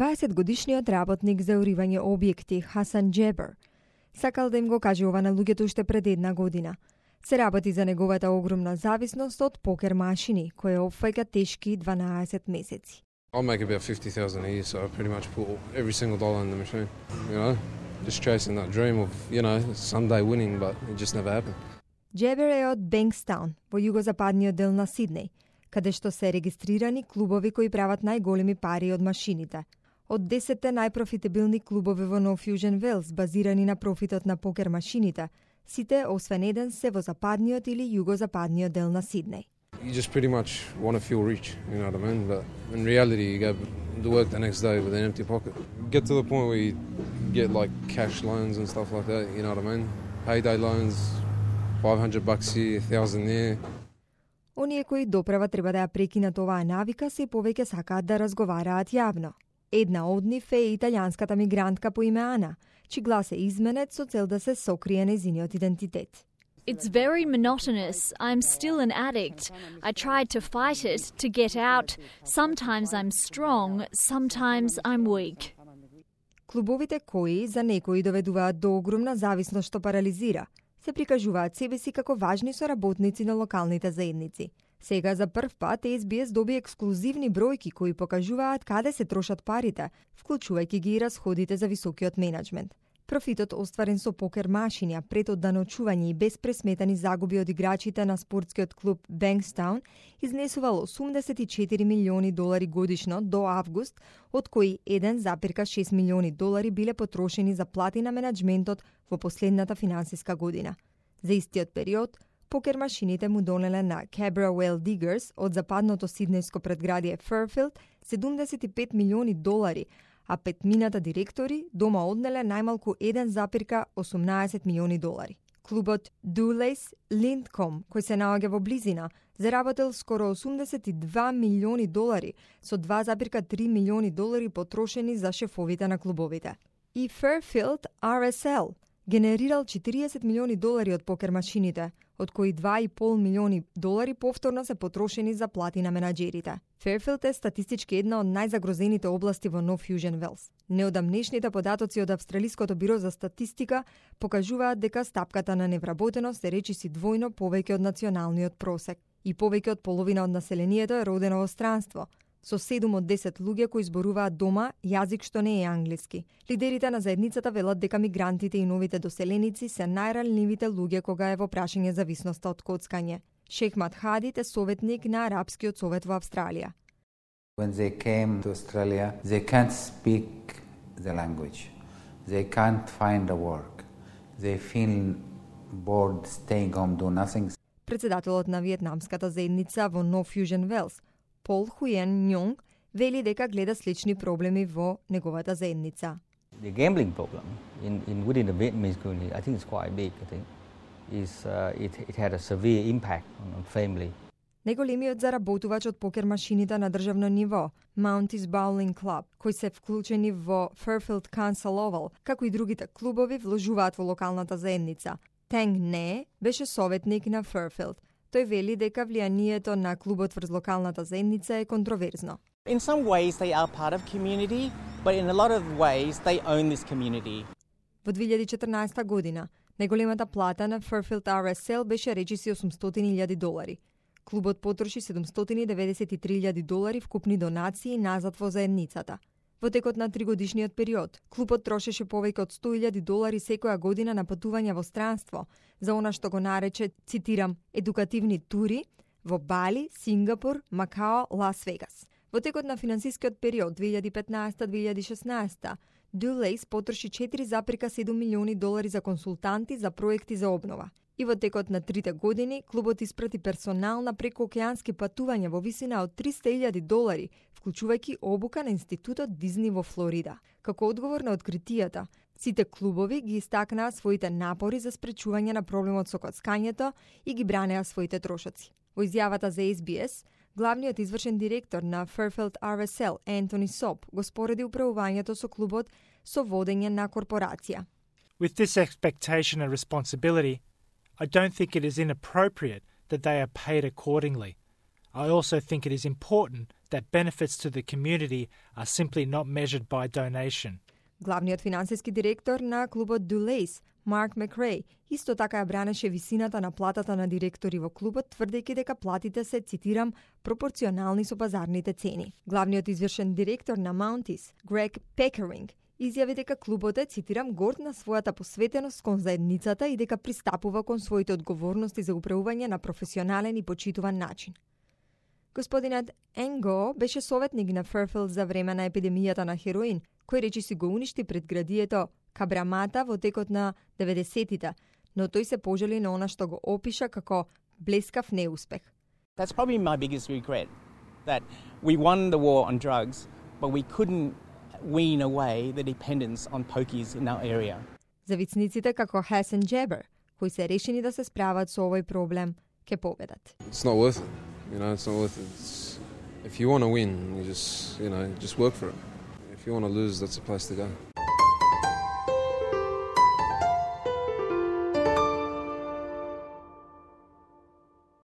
20-годишниот работник за уривање објекти Хасан Джебер сакал да им го каже ова на луѓето уште пред една година. Се работи за неговата огромна зависност од покер машини, која опфаќа тешки 12 месеци. I make about 50,000 a year, so I pretty much put every single dollar in the machine, you know, just chasing that dream of, you know, someday winning, but it just never happened. Джебер е од Бенкстаун, во југозападниот дел на Сиднеј, каде што се регистрирани клубови кои прават најголеми пари од машините. Од 10 најпрофитабилни клубови во No Fusion Wales, базирани на профитот на покер машините, сите освен еден се во западниот или југозападниот дел на Сиднеј. You just pretty much want to feel rich, you know what I mean? But in reality, you go to work the next day with an empty pocket. Get to the point where you get like cash loans and stuff like that, you know what I mean? Payday loans, $500 here, $1,000 there. Оние кои доправа треба да ја прекинат оваа навика се повеќе сакаат да разговараат јавно. Една од нив е италијанската мигрантка по име Ана, чиј глас е изменет со цел да се сокрие нејзиниот идентитет. It's very monotonous. I'm still an addict. I tried to fight it, to get out. Sometimes I'm strong, sometimes I'm weak. Клубовите кои за некои доведуваат до огромна зависност што парализира, се прикажуваат себе си како важни соработници на локалните заедници. Сега за прв пат SBS доби ексклузивни бројки кои покажуваат каде се трошат парите, вклучувајќи ги и расходите за високиот менеджмент. Профитот остварен со покер машини, а пред одданочување и без пресметани загуби од играчите на спортскиот клуб Бенкстаун изнесувал $84 милиони годишно до август, од кои $1,6 милиони биле потрошени за плати на менеджментот во последната финансиска година. За истиот период, покер машините му донеле на Cabrawell Diggers од западното сиднејско предградие Fairfield $75 милиони, а петмината директори дома однеле најмалку $1,18 милиони. Клубот Dulles Lindcombe, кој се наоѓа во близина, заработил скоро $82 милиони со $2,3 милиони потрошени за шефовите на клубовите. И Fairfield RSL генерирал $40 милиони од покер машините, од кои $2,5 милиони повторно се потрошени за плати на менаџерите. Fairfield е статистички една од најзагрозените области во No Fusion Wales. Неодамнешните податоци од Австралиското биро за статистика покажуваат дека стапката на невработеност е речиси двојно повеќе од националниот просек и повеќе од половина од населението е родено во странство, со 7 од 10 луѓе кои зборуваат дома јазик што не е англиски. Лидерите на заедницата велат дека мигрантите и новите доселеници се најранливите луѓе кога е во прашање зависноста од коцкање. Шехмат Хадид е советник на Арапскиот совет во Австралија. When they came to Australia, they can't speak the language. They can't find a work. They feel bored staying home, do nothing. Председателот на виетнамската заедница во No Fusion Wales, Пол Хуен Ньонг, вели дека гледа слични проблеми во неговата заедница. The gambling problem within the Vietnamese community, I think it's quite big. I think it had a severe impact on family. Неголемиот заработувач од покер машините на државно ниво, Mounties Bowling Club, кои се вклучени во Fairfield Council Oval, како и другите клубови, вложуваат во локалната заедница. Танг Не беше советник на Fairfield. Тој вели дека влијанието на клубот врз локалната заедница е контроверзно. In some ways they are part of community, but in a lot of ways they own this community. Во 2014 година, најголемата плата на Fairfield RSL беше речиси $800,000. Клубот потроши $793,000 вкупни донации назад во заедницата. Во текот на 3-годишниот период, клубот трошеше повеќе од $100,000 секоја година на патувања во странство, за она што го нарече, цитирам, едукативни тури во Бали, Сингапур, Макао, Лас Вегас. Во текот на финансискиот период 2015-2016, Dulles потроши $4,7 милиони за консултанти за проекти за обнова. И во текот на 3 години, клубот испрати персонал на прекоокеански патувања во висина од $300,000, вклучувајќи обука на Институтот Дизни во Флорида. Како одговор на откритијата, сите клубови ги истакнаа своите напори за спречување на проблемот со коцкањето и ги бранеа своите трошоци. Во изјавата за SBS, главниот извршен директор на Fairfield RSL, Ентони Соп, го спореди управувањето со клубот со водење на корпорација. With this expectation and responsibility, I don't think it is inappropriate that they are paid accordingly. I also think it is important that benefits to the community are simply not measured by donation. Главниот финансиски директор на клубот Dulles, Mark McRae, исто така ја бранеше висината на платата на директори во клубот, тврдејќи дека платите се, цитирам, пропорционални со пазарните цени. Главниот извршен директор на Mounties, Greg Pickering, изјави дека клубот е, цитирам, горд на својата посветеност кон заедницата и дека пристапува кон своите одговорности за управување на професионален и почитуван начин. Господинот Енго беше советник на Fairfield за време на епидемијата на хероин, кој речиси го уништи предградието Кабрамата во текот на 90-тите, но тој се пожали на она што го опиша како блескав неуспех. That's probably my biggest regret, that we won the war on drugs, but we couldn't wean away the dependence on pokies in our area. За вицниците како Hassan Jabber, кои се решени да се справат со овој проблем, ке победат. It's not worth it. You know, it's not worth it. If you want to win, you just work for it. If you want to lose, that's the place to go.